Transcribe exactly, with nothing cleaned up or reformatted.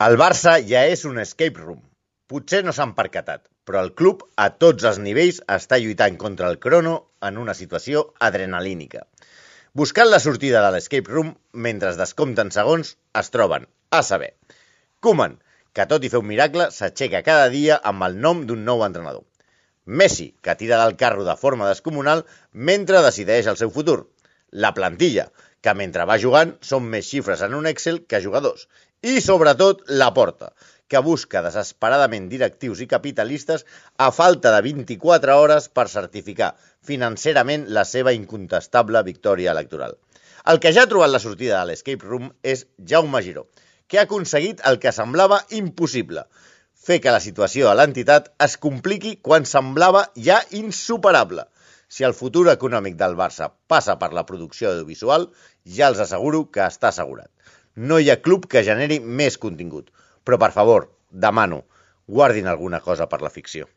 El Barça ja és un escape room. Potser no s'han percatat, però el club a tots els nivells està lluitant contra el crono en una situació adrenalínica. Buscant la sortida de l'escape room mentre es descompten segons, es troben, a saber, Koeman, que tot i fer un miracle s'aixeca cada dia amb el nom d'un nou entrenador. Messi, que tira del carro de forma descomunal mentre decideix el seu futur. La plantilla, que mentre va jugant són més xifres en un Excel que jugadors. I, sobretot, la Porta, que busca desesperadament directius i capitalistes a falta de vint-i-quatre hores per certificar financerament la seva incontestable victòria electoral. El que ja ha trobat la sortida de l'escape room és Jaume Giró, que ha aconseguit el que semblava impossible, fer que la situació a l'entitat es compliqui quan semblava ja insuperable. Si el futur econòmic del Barça passa per la producció audiovisual, ja els asseguro que està assegurat. No hi ha club que generi més contingut, però per favor, demano, guardin alguna cosa per la ficció.